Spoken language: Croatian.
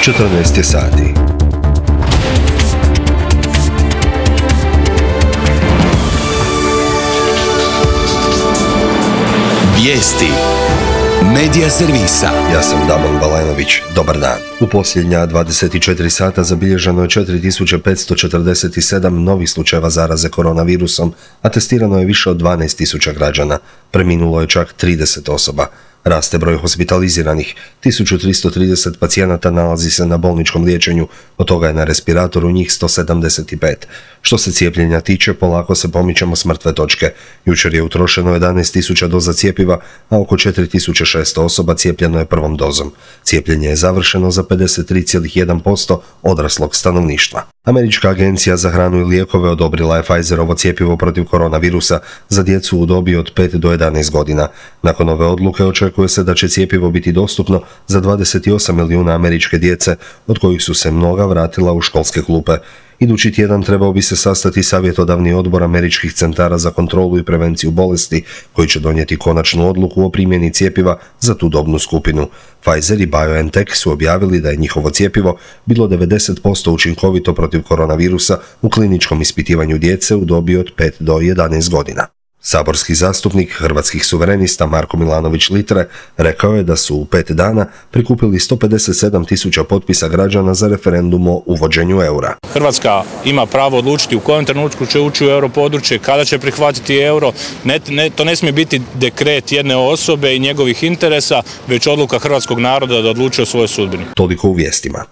14 je sati. Vijesti Medija servisa. Ja sam Damon Balenović. Dobar dan. U posljednja 24 sata zabilježeno je 4547 novih slučajeva zaraze koronavirusom, a testirano je više od 12.000 građana. Preminulo je čak 30 osoba. Raste broj hospitaliziranih. 1330 pacijenata nalazi se na bolničkom liječenju, od toga je na respiratoru njih 175. Što se cijepljenja tiče, polako se pomičemo s mrtve točke. Jučer je utrošeno 11.000 doza cjepiva, a oko 4600 osoba cijepljeno je prvom dozom. Cijepljenje je završeno za 53,1% odraslog stanovništva. Američka agencija za hranu i lijekove odobrila je Pfizerovo cjepivo protiv koronavirusa za djecu u dobi od 5 do 11 godina. Nakon ove odluke očekuje se da će cjepivo biti dostupno za 28 milijuna američke djece, od kojih su se mnoga vratila u školske klupe. Idući tjedan trebao bi se sastati savjetodavni odbor američkih centara za kontrolu i prevenciju bolesti, koji će donijeti konačnu odluku o primjeni cjepiva za tu dobnu skupinu. Pfizer i BioNTech su objavili da je njihovo cjepivo bilo 90% učinkovito protiv koronavirusa u kliničkom ispitivanju djece u dobi od 5 do 11 godina. Saborski zastupnik Hrvatskih suverenista Marko Milanović-Litre rekao je da su u 5 dana prikupili 157.000 potpisa građana za referendum o uvođenju eura. Hrvatska ima pravo odlučiti u kojem trenutku će ući u europodručje, kada će prihvatiti euro. To ne smije biti dekret jedne osobe i njegovih interesa, već odluka hrvatskog naroda da odluči o svojoj sudbini. Toliko u vijestima.